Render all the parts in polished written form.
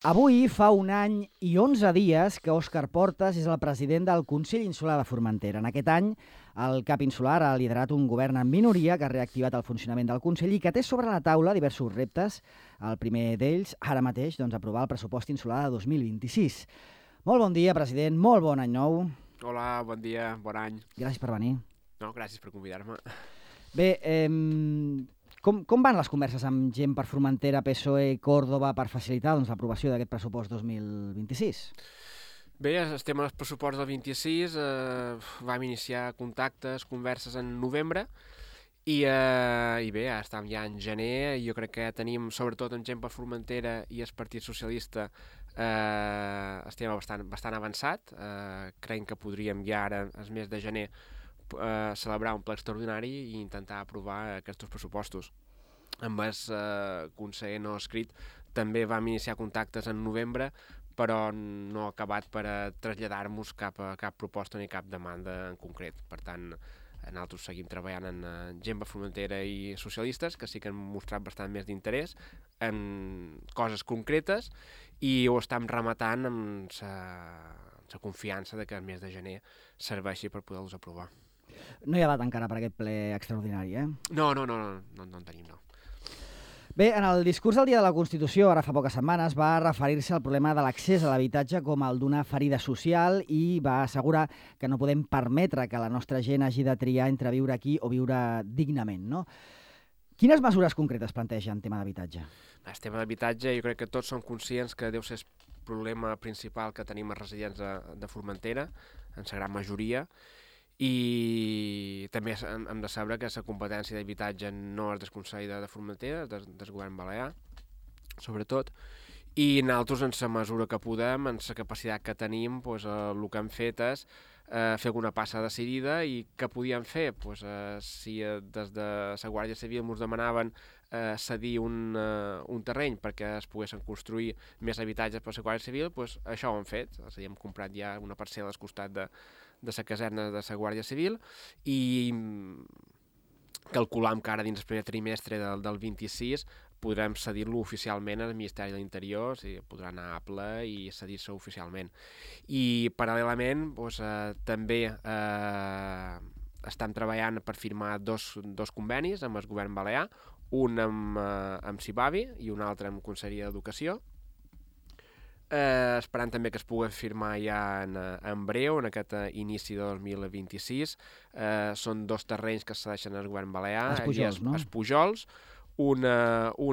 Avui fa un any i 11 dies que Òscar Portas és el president del Consell Insular de Formentera. En aquest any, el CAP Insular ha liderat un govern en minoria que ha reactivat el funcionament del Consell i que té sobre la taula diversos reptes. El primer d'ells, ara mateix, aprovar el pressupost insular de 2026. Molt bon dia, president. Molt bon any nou. Hola, bon dia, bon any. Gràcies per venir. No, gràcies per convidar-me. Bé, com van les converses amb gent per Formentera, PSOE i Córdoba per facilitar l'aprovació d'aquest pressupost 2026? Bé, estem al pressupost del 26, vam iniciar contactes, converses en novembre i bé, ara estem ja en gener i jo crec que tenim, sobretot en gent per Formentera i el Partit Socialista, estem bastant avançat. Creiem que podríem ja ara, el mes de gener, celebrar un ple extraordinari i intentar aprovar aquests pressupostos. Amb el conseller no escrit també vam iniciar contactes en novembre, però no ha acabat per traslladar-nos cap proposta ni cap demanda en concret. Per tant, nosaltres seguim treballant en gent per Formentera i socialistes, que sí que han mostrat bastant més d'interès en coses concretes i ho estem rematant amb la confiança de que el mes de gener serveixi per poder-los aprovar. No hi ha data encara per aquest ple extraordinari, eh? No en tenim, no. Bé, en el discurs del Dia de la Constitució, ara fa poques setmanes, va referir-se al problema de l'accés a l'habitatge com el d'una ferida social i va assegurar que no podem permetre que la nostra gent hagi de triar entre viure aquí o viure dignament, no? Quines mesures concretes planteja en tema d'habitatge? El tema d'habitatge, jo crec que tots som conscients que deu ser el problema principal que tenim els residents de Formentera, en la gran majoria, i també hem de saber que la competència d'habitatge no és del Consell de Formentera, és del govern balear, sobretot, i nosaltres, en la mesura que podem, en la capacitat que tenim, el que hem fet és fer alguna passa decidida. I què podíem fer? Si des de la Guàrdia Civil ens demanaven cedir un terreny perquè es poguessin construir més habitatges per la Guàrdia Civil, això ho hem fet. És a dir, hem comprat ja una parcel·la al costat de la caserna de la Guàrdia Civil i calculam que ara dins el primer trimestre del 26 podrem cedir-lo oficialment al Ministeri de l'Interior, podrà anar a ple i cedir-se oficialment. I paral·lelament també estem treballant per firmar dos convenis amb el govern balear, un amb Cibavi i un altre amb Conselleria d'Educació, esperant també que es pugui firmar ja en breu, en aquest inici de 2026. Són dos terrenys que es cedeixen al govern balear. Els Pujols, no? Els Pujols. Un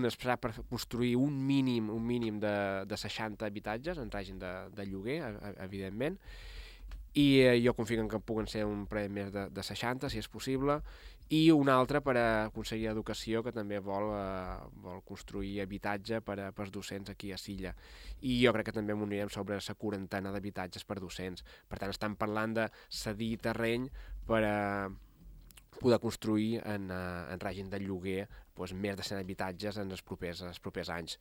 és per construir un mínim de 60 habitatges en règim de lloguer, evidentment, i jo confio que puguen ser un parell més de 60, si és possible, i un altre per a Conselleria d'Educació, que també vol construir habitatge per als docents aquí a Silla. I jo crec que també m'unirem sobre la 40 d'habitatges per docents. Per tant, estem parlant de cedir terreny per a poder construir en règim de lloguer més de 100 habitatges en els propers anys.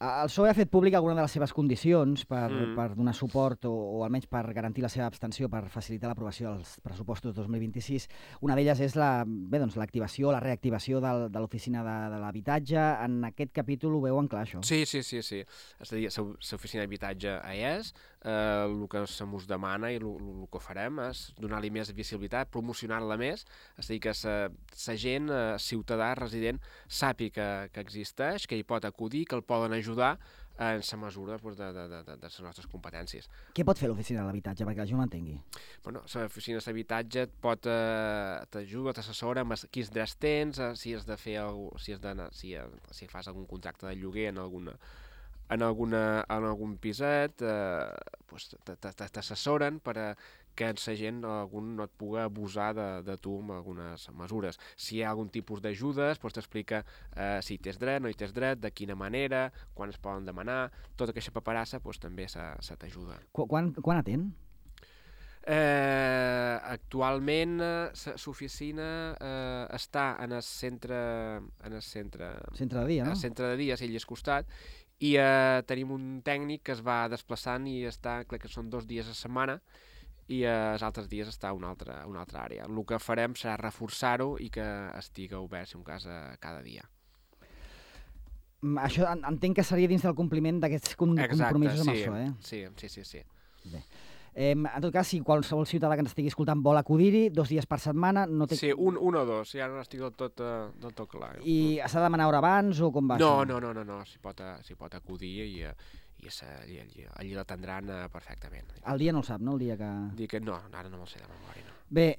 El PSOE ha fet públic alguna de les seves condicions per donar suport o almenys per garantir la seva abstenció per facilitar l'aprovació dels pressupostos 2026. Una d'elles és l'activació, la reactivació de l'oficina de l'habitatge. En aquest capítol ho veuen clar, això? Sí. És a dir, l'oficina d'habitatge és, el que se'ns demana i el que farem és donar-li més visibilitat, promocionar-la més, és a dir, que la gent, ciutadà, resident, sàpiga que existeix, que hi pot acudir, que el poden ajudar en la mesura de les nostres competències. Què pot fer l'oficina de l'habitatge perquè la gent ho entengui? L'oficina d'habitatge t'ajuda, t'assessora amb quins drets tens, si has de fer si fas algun contracte de lloguer en algun piset, t'assessoren per a que la gent no et pugui abusar de tu amb algunes mesures. Si hi ha algun tipus d'ajudes, t'explica si hi tens dret, no hi tens dret, de quina manera, quan es poden demanar, tota aquesta paperassa també se t'ajuda. Quan atén? Actualment l'oficina està en el centre de dia, no? El centre de dia, a Illes Costat, i tenim un tècnic que es va desplaçant i està, crec que són 2 dies a setmana, i els altres dies està a una altra àrea. El que farem serà reforçar-ho i que estigui obert, si un cas, cada dia. Això entenc que seria dins del compliment d'aquests compromisos amb el PSOE. Sí. Bé. En tot cas, si qualsevol ciutadà que ens estigui escoltant vol acudir-hi 2 dies per setmana... No té... Sí, un o dos, ja no estic del tot clar. I s'ha de demanar hora abans o com va això? No, s'hi pot acudir i allí l'atendran perfectament. El dia no el sap, no? El dia que... Dic que no, ara no me'l sé de memòria, no. Bé,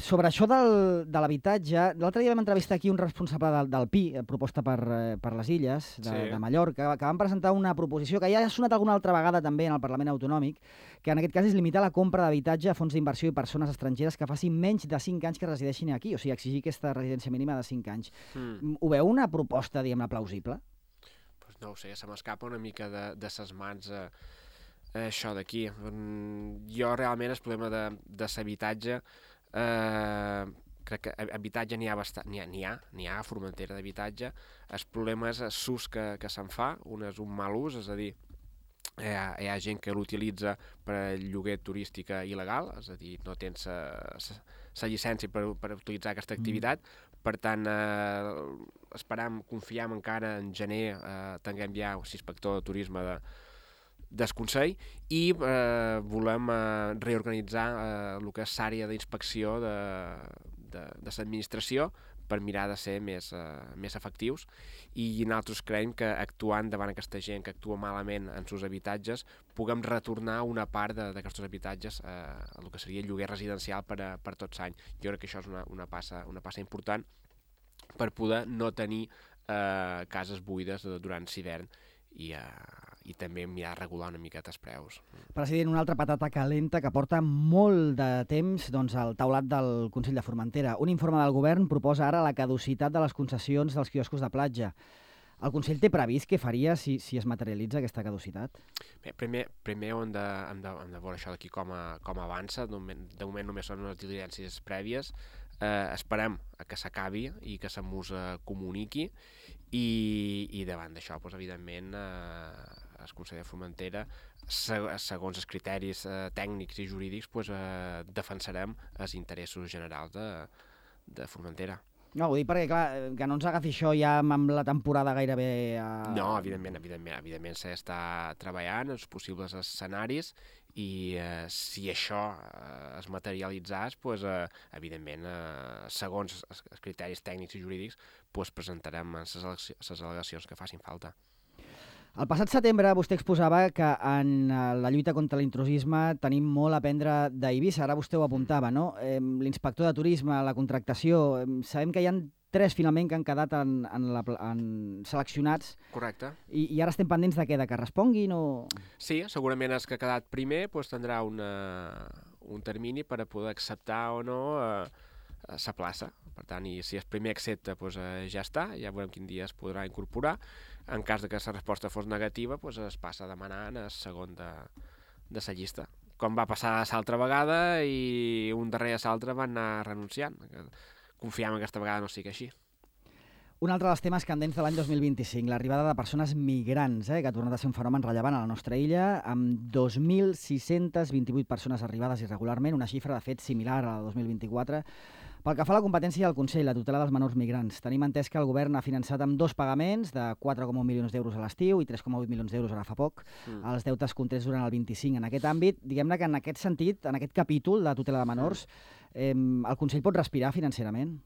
sobre això de l'habitatge, l'altre dia vam entrevistar aquí un responsable del PI, proposta per les Illes, de Mallorca, que van presentar una proposició que ja ha sonat alguna altra vegada també en el Parlament Autonòmic, que en aquest cas és limitar la compra d'habitatge a fons d'inversió i persones estrangeres que facin menys de 5 anys que resideixin aquí, o sigui, exigir aquesta residència mínima de 5 anys. Ho veu una proposta, diguem-ne, plausible? Pues no ho sé, se m'escapa una mica de ses mans això d'aquí. Jo realment el problema de l'habitatge, crec que habitatge n'hi ha bastant, n'hi ha a Formentera d'habitatge. El problema és l'ús que se'n fa, un és un mal ús, és a dir, hi ha gent que l'utilitza per a lloguer turístic il·legal, és a dir, no tens la llicència per utilitzar aquesta activitat. Per tant, confiem encara en gener tinguem ja l'inspector de turisme del Consell i volem reorganitzar el que és l'àrea d'inspecció de l'administració per mirar de ser més efectius i nosaltres creiem que actuant davant aquesta gent que actua malament en els habitatges puguem retornar una part d'aquests habitatges a el que seria lloguer residencial per tots l'any. Jo crec que això és una passa important per poder no tenir cases buides durant l'hivern i també mirar de regular una miqueta els preus. President, una altra patata calenta que porta molt de temps al taulat del Consell de Formentera. Un informe del govern proposa ara la caducitat de les concessions dels quioscos de platja. El Consell té previst què faria si es materialitza aquesta caducitat? Bé, primer hem de veure això d'aquí com avança. De moment només són unes diligències prèvies. Esperem que s'acabi i que se'ns comuniqui i davant d'això, evidentment, el Consell de Formentera, segons els criteris tècnics i jurídics, defensarem els interessos generals de Formentera. No, ho dic perquè, clar, que no ens agafi això ja amb la temporada gairebé... No, evidentment s'està treballant els possibles escenaris i si això es materialitzés, evidentment, segons els criteris tècnics i jurídics, presentarem les al·legacions que facin falta. El passat setembre vostè exposava que en la lluita contra l'intrusisme tenim molt a aprendre d'Eivissa, ara vostè ho apuntava, no? L'inspector de turisme, la contractació, sabem que hi ha 3 finalment que han quedat seleccionats. Correcte. I ara estem pendents de què? De que responguin o...? Sí, segurament els que ha quedat primer tindrà un termini per a poder acceptar o no la plaça. Per tant, i si el primer accepta, ja està, ja veurem quin dia es podrà incorporar. En cas que la resposta fos negativa, es passa demanant el segon de la llista. Com va passar l'altra vegada i un darrere l'altre van anar renunciant. Confiem que aquesta vegada no sigui així. Un altre dels temes candents de l'any 2025, l'arribada de persones migrants, que ha tornat a ser un fenomen rellevant a la nostra illa, amb 2.628 persones arribades irregularment, una xifra de fet similar a la de 2024. Pel que fa a la competència del Consell, la tutela dels menors migrants, tenim entès que el govern ha finançat amb 2 pagaments de 4,1 milions d'euros a l'estiu i 3,8 milions d'euros ara fa poc, els deutes contrets durant el 25 en aquest àmbit. Diguem-ne que en aquest sentit, en aquest capítol de tutela de menors, el Consell pot respirar financerament?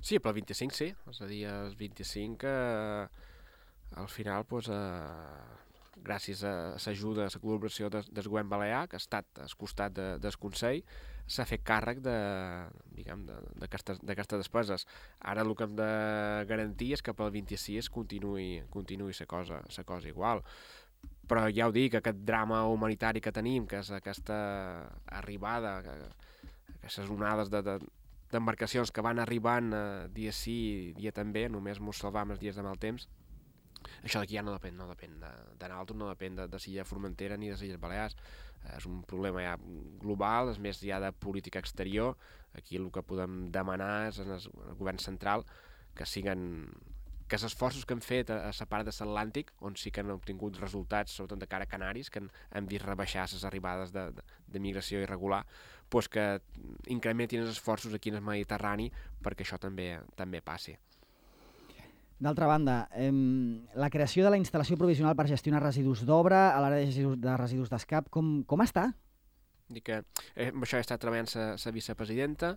Sí, però el 25 sí. És a dir, el 25 al final, gràcies a l'ajuda, a la col·laboració del govern balear, que ha estat al costat del Consell, s'ha fet càrrec d'aquestes despeses. Ara el que hem de garantir és que pel 26 continuï la cosa igual. Però ja ho dic, aquest drama humanitari que tenim, que és aquesta arribada, aquestes onades d'embarcacions que van arribant dia sí, dia també, només ens salvam els dies de mal temps, això d'aquí ja no depèn de nosaltres, no depèn de l'illa Formentera ni de les Illes Balears. És un problema ja global, és més ja de política exterior. Aquí el que podem demanar és al govern central que els esforços que han fet a la part de l'Atlàntic, on sí que han obtingut resultats, sobretot de cara a Canaris, que han vist rebaixar les arribades de migració irregular, que incrementin els esforços aquí en el Mediterrani perquè això també passi. D'altra banda, la creació de la instal·lació provisional per gestionar residus d'obra a l'àrea de residus d'Escap, com està? Dic que amb això he estat treballant la vicepresidenta,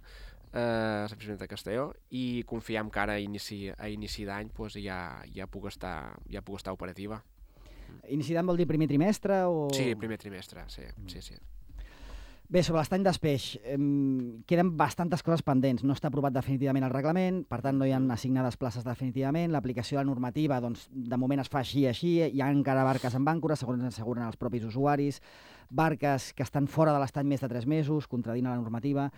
la vicepresidenta Castelló, i confiem que ara a inici d'any pues, ja puc estar operativa. Inici d'any vol dir primer trimestre? O... Sí, primer trimestre, sí. Bé, sobre l'estany d'Espeix, queden bastantes coses pendents. No està aprovat definitivament el reglament, per tant no hi ha assignades places definitivament. L'aplicació de la normativa, doncs, de moment es fa així. Hi ha encara barques amb àncora, segons ens asseguren els propis usuaris, barques que estan fora de l'estany més de 3 mesos, contradint la normativa.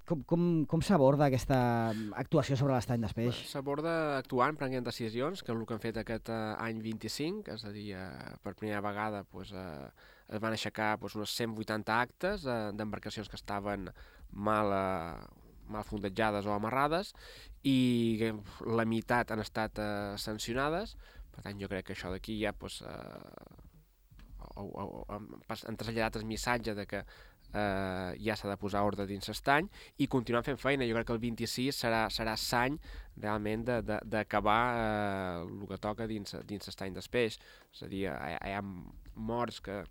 Com s'aborda aquesta actuació sobre l'estany d'Espeix? S'aborda actuant, prenent decisions, que és el que han fet aquest any 25, és a dir, per primera vegada es van aixecar unes 180 actes d'embarcacions que estaven mal fondejades o amarrades, i la meitat han estat sancionades. Per tant, jo crec que això d'aquí ja han traslladat el missatge de que ja s'ha de posar ordre dins l'estany i continuar fent feina. Jo crec que el 26 serà l'any realment d'acabar el que toca dins l'estany d'Espeix. És a dir, hi ha morts que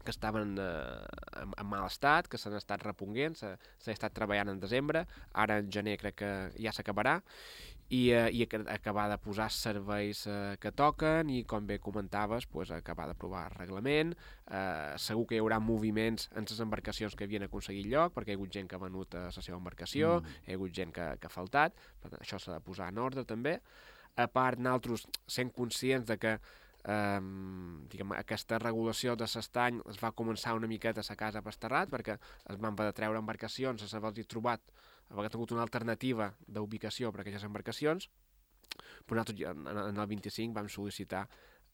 estaven en mal estat, que s'han estat reponguent, s'ha estat treballant en desembre, ara en gener crec que ja s'acabarà, i acabar de posar serveis que toquen i, com bé comentaves, acabar d'aprovar el reglament. Segur que hi haurà moviments en les embarcacions que havien aconseguit lloc, perquè hi ha hagut gent que ha venut la seva embarcació, hi ha hagut gent que ha faltat, per tant, això s'ha de posar en ordre també. A part, nosaltres sent conscients de que aquesta regulació de l'estany es va començar una miqueta a la casa Pasterrat, perquè es van haver de treure embarcacions, s'havia trobat, havia tingut una alternativa d'ubicació per a aquelles embarcacions, però nosaltres en el 25 vam sol·licitar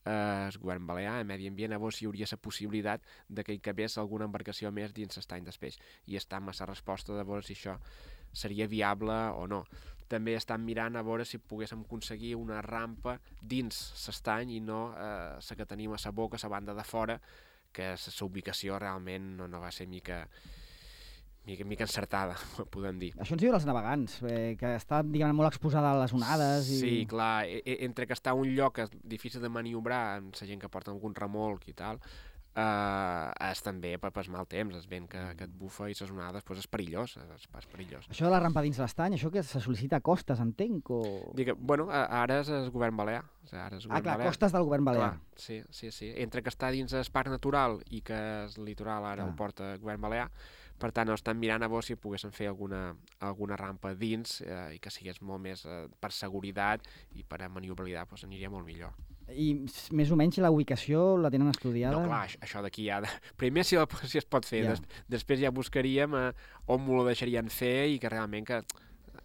al govern balear, a Medi Ambient, a veure si hi hauria la possibilitat de que hi cabés alguna embarcació més dins l'estany d'Espeix, i està amb la resposta de veure si això seria viable o no. També estan mirant a veure si poguéssim aconseguir una rampa dins l'estany i no la que tenim a la boca, a la banda de fora, que la ubicació realment no va ser mica encertada, podem dir. Això ens diuen els navegants, que està, diguem, molt exposada a les onades. Sí, clar, entre que està un lloc difícil de maniobrar amb la gent que porta algun remolc i tal, és també per mal temps, el vent que et bufa i les onades és perillós, és perillós. Això de la rampa dins l'estany, això que se sol·licita a costes, entenc? Bueno, ara és el govern balear. Clar, costes del govern balear. Clar, sí. Entre que està dins el parc natural i que el litoral ara ho porta el govern balear, per tant, estan mirant a veure si poguessin fer alguna rampa dins i que sigués molt més per seguretat i per a maniobrabilitat, aniria molt millor. I més o menys la ubicació la tenen estudiada? No, clar, això d'aquí ja... Primer si es pot fer, després ja buscaríem on m'ho deixarien fer i que realment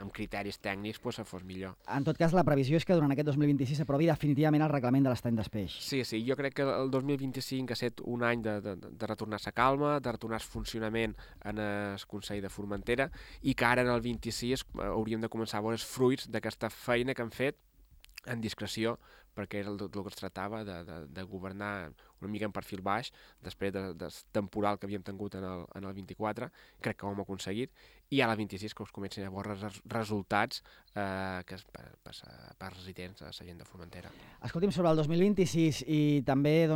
amb criteris tècnics se fos millor. En tot cas, la previsió és que durant aquest 2026 s'aprovi definitivament el reglament de l'estany d'Espeix. Sí, jo crec que el 2025 ha estat un any de retornar a calma, de retornar al funcionament en el Consell de Formentera, i que ara en el 26 hauríem de començar a veure els fruits d'aquesta feina que han fet en discreció, perquè era el que es tractava de governar una mica en perfil baix, després del temporal que havíem tingut en el 24, crec que ho hem aconseguit, i ara el 26 que us comencin a veure resultats que per residents a la gent de Formentera. Escolti'm, sobre el 2026 i també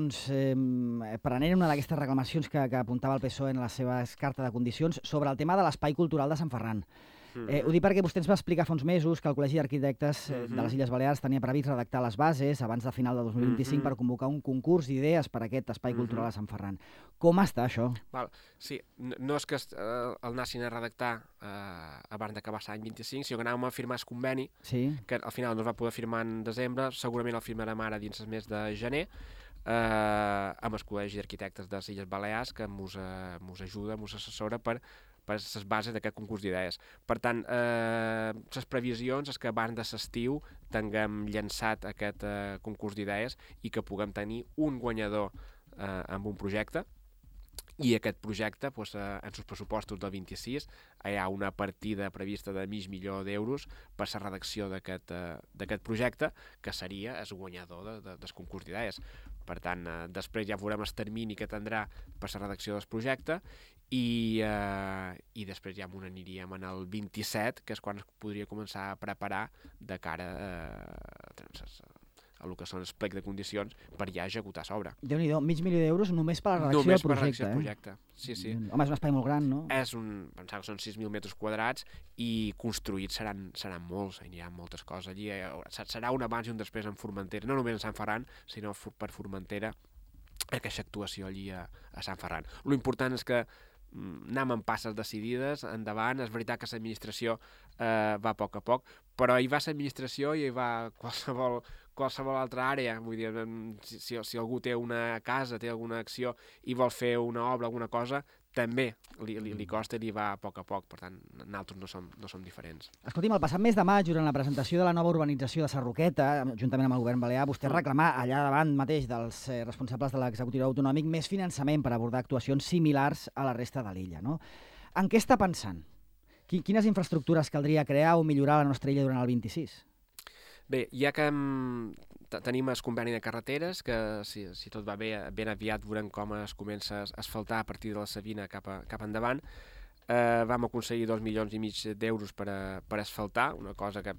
prenent una d'aquestes reclamacions que apuntava el PSOE en la seva carta de condicions sobre el tema de l'espai cultural de Sant Ferran. Ho dic perquè vostè ens va explicar fa uns mesos que el Col·legi d'Arquitectes de les Illes Balears tenia previst redactar les bases abans de final de 2025 per convocar un concurs d'idees per a aquest espai cultural a Sant Ferran. Com està això? Sí, no és que el anessin a redactar abans d'acabar l'any 25, sinó que anàvem a firmar el conveni, que al final no es va poder firmar en desembre, segurament el firmarem ara dins el mes de gener, amb el Col·legi d'Arquitectes de les Illes Balears, que mos ajuda, mos assessora per les bases d'aquest concurs d'idees. Per tant, les previsions és que abans de l'estiu tinguem llançat aquest concurs d'idees i que puguem tenir un guanyador amb un projecte, i aquest projecte, en els pressupostos del 26, hi ha una partida prevista de $500,000 per la redacció d'aquest projecte, que seria el guanyador del concurs d'idees. Per tant, després ja veurem el termini que tindrà per la redacció del projecte i després ja m'ho aniríem en el 27, que és quan es podria començar a preparar de cara a el que són els plecs de condicions per ja executar l'obra. Déu-n'hi-do, $500.000 només per la redacció Només del per projecte. redacció del projecte, sí. Home, és un espai molt gran, no? Pensar que són 6.000 metres quadrats i construïts seran molts, hi ha moltes coses allí. Serà un abans i un després en Formentera, no només a Sant Ferran, sinó per Formentera, aquesta actuació allí a Sant Ferran. L'important és que anem amb passes decidides, endavant. És veritat que l'administració va a poc, però hi va l'administració i hi va qualsevol altra àrea. Vull dir, si algú té una casa, té alguna acció i vol fer una obra, alguna cosa, també li costa i li va a poc. Per tant, nosaltres no som diferents. Escolti'm, el passat mes de maig, durant la presentació de la nova urbanització de Sarroqueta, juntament amb el govern balear, vostè reclamà allà davant mateix dels responsables de l'executiu autonòmic més finançament per abordar actuacions similars a la resta de l'illa, no? En què està pensant? Quines infraestructures caldria crear o millorar a la nostra illa durant el 26? Bé, ja que tenim el conveni de carreteres, que si tot va bé, ben aviat veurem com es comença a asfaltar a partir de la Sabina cap endavant. Vam aconseguir 2,5 milions d'euros per asfaltar, una cosa que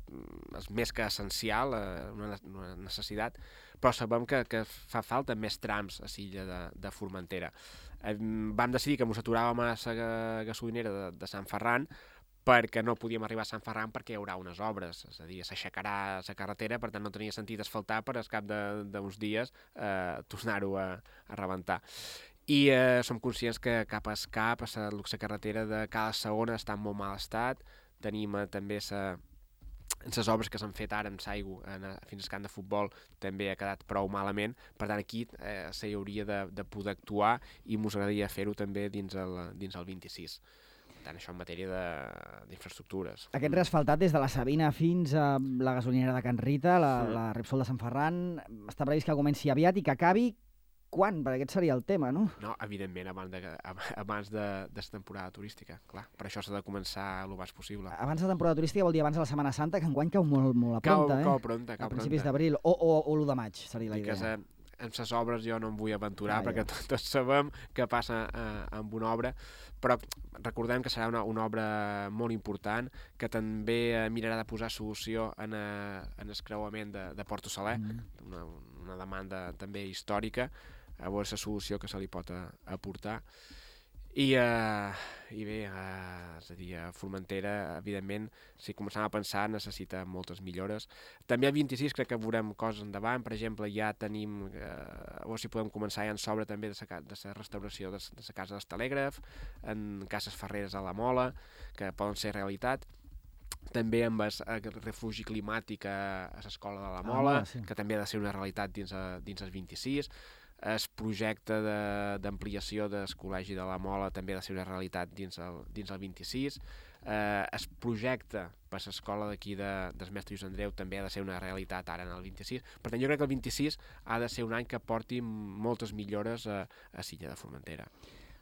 és més que essencial, una necessitat, però sabem que fa falta més trams a l'illa de Formentera. Vam decidir que ens aturàvem a la gasolinera de Sant Ferran, perquè no podíem arribar a Sant Ferran perquè hi haurà unes obres, és a dir, s'aixecarà la carretera, per tant no tenia sentit asfaltar per al cap d'uns dies tornar-ho a rebentar. I som conscients que cap a la carretera de Cala Segona està en molt mal estat. Tenim també les obres que s'han fet ara amb l'aigua fins al camp de futbol també ha quedat prou malament. Per tant, aquí s'hi hauria de poder actuar i ens agradaria fer-ho també dins el 26. Per tant, això en matèria d'infraestructures. Aquest reasfaltat des de la Sabina fins a la gasolinera de Can Rita, la Repsol de Sant Ferran, està previst que comenci aviat i que acabi quan? Perquè aquest seria el tema, no? No, evidentment, abans de la temporada turística, clar. Per això s'ha de començar el més possible. Abans de la temporada turística vol dir abans de la Setmana Santa, que enguany cau molt a pronta, Cau pronta. A principis d'abril, o l'1 de maig, seria la idea. En les obres jo no em vull aventurar, perquè tots sabem què passa amb una obra, però recordem que serà una obra molt important, que també mirarà de posar solució en el creuament de Porto Saler, una demanda també històrica, a veure la solució que se li pot aportar. I bé, és a dir, a Formentera, evidentment, si començam a pensar, necessita moltes millores. També al 26 crec que veurem coses endavant. Per exemple, ja tenim, a veure si podem començar ja en s'obra també de la restauració de la casa dels telègraf, en cases ferreres a la Mola, que poden ser realitat. També amb el refugi climàtic a l'escola de la Mola, que també ha de ser una realitat dins el 26. El projecte d'ampliació del col·legi de la Mola també ha de ser una realitat dins el 26. El projecte per l'escola d'aquí del mestre Lluís Andreu també ha de ser una realitat ara en el 26. Per tant, jo crec que el 26 ha de ser un any que porti moltes millores a l'illa de Formentera.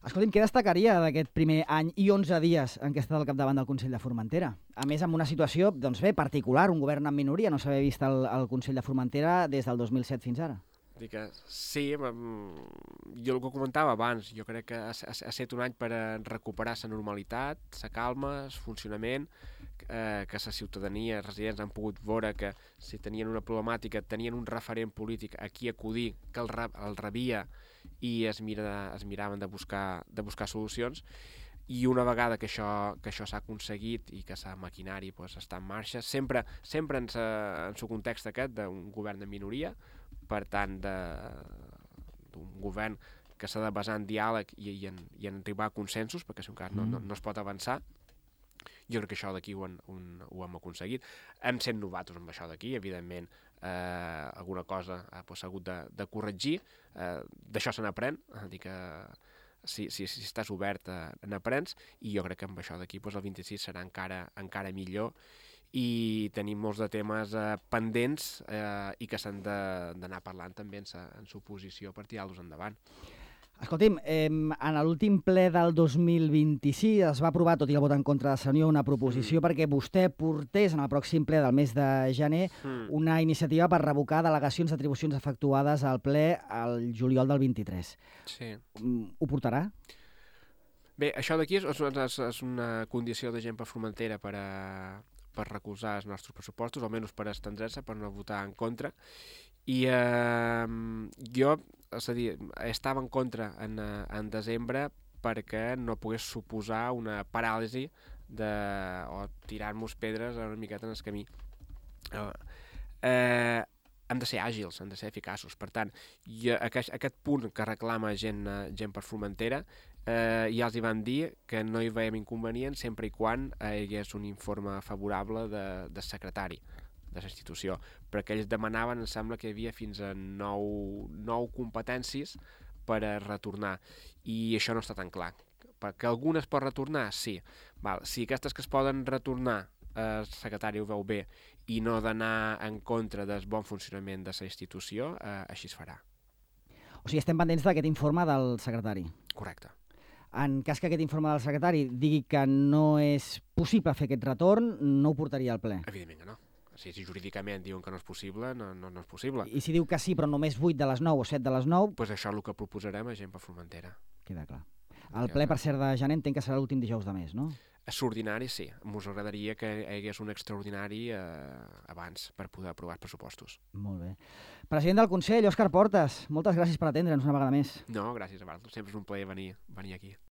Escolti'm, què destacaria d'aquest primer any i 11 dies en què ha estat al capdavant del Consell de Formentera? A més, amb una situació, doncs bé, particular, un govern en minoria, no s'havia vist al Consell de Formentera des del 2007 fins ara. Sí, jo el que comentava abans, jo crec que ha estat un any per recuperar la normalitat, la calma, el funcionament, que la ciutadania, els residents han pogut veure que si tenien una problemàtica, tenien un referent polític a qui acudir, que el rebia i es miraven de buscar solucions. I una vegada que això s'ha aconseguit i que la maquinari està en marxa, sempre en el context aquest d'un govern de minoria, per tant, d'un govern que s'ha de basar en diàleg i en arribar a consensos, perquè si un cas no es pot avançar. Jo crec que això d'aquí ho hem aconseguit. Hem sent novatos amb això d'aquí, evidentment, alguna cosa s'ha hagut de corregir. D'això se n'aprèn, dir que si estàs obert n'aprens, i jo crec que amb això d'aquí el 26 serà encara millor, i tenim molts de temes pendents i que s'han d'anar parlant també en l'oposició per tirar-los endavant. Escolti'm, en l'últim ple del 2026 es va aprovar, tot i el vot en contra de Sanió, una proposició perquè vostè portés en el pròxim ple del mes de gener una iniciativa per revocar delegacions d'atribucions efectuades al ple al juliol del 23. Sí. Ho portarà? Bé, això d'aquí és una condició de gent per Formentera per recolzar els nostres pressupostos, almenys per estendre's, per no votar en contra. I jo, és a dir, estava en contra en desembre perquè no pogués suposar una paràlisi o tirar-nos pedres una miqueta en el camí. Hem de ser àgils, hem de ser eficaços. Per tant, aquest punt que reclama gent per Formentera, ja els hi van dir que no hi veiem inconvenient sempre i quan hi hagués un informe favorable de secretari de la institució, perquè ells demanaven, em sembla que hi havia fins a 9 competències per a retornar, i això no està tan clar. Perquè algunes pot retornar? Sí. Si aquestes que es poden retornar el secretari ho veu bé i no d'anar en contra del bon funcionament de la institució, així es farà. O sigui, estem pendents d'aquest informe del secretari. Correcte. En cas que aquest informe del secretari digui que no és possible fer aquest retorn, no ho portaria al ple? Evidentment que no. Si jurídicament diuen que no és possible, no és possible. I si diu que sí, però només 8 de les 9 o 7 de les 9... Doncs això és el que proposarem a gent per Formentera. Queda clar. El ple, per cert, de gener entenc que serà l'últim dijous de mes, no? Extraordinari, sí. Ens agradaria que hi hagués un extraordinari abans per poder aprovar els pressupostos. Molt bé. President del Consell, Òscar Portas, moltes gràcies per atendre'ns una vegada més. No, gràcies a vosaltres. Sempre és un plaer venir aquí.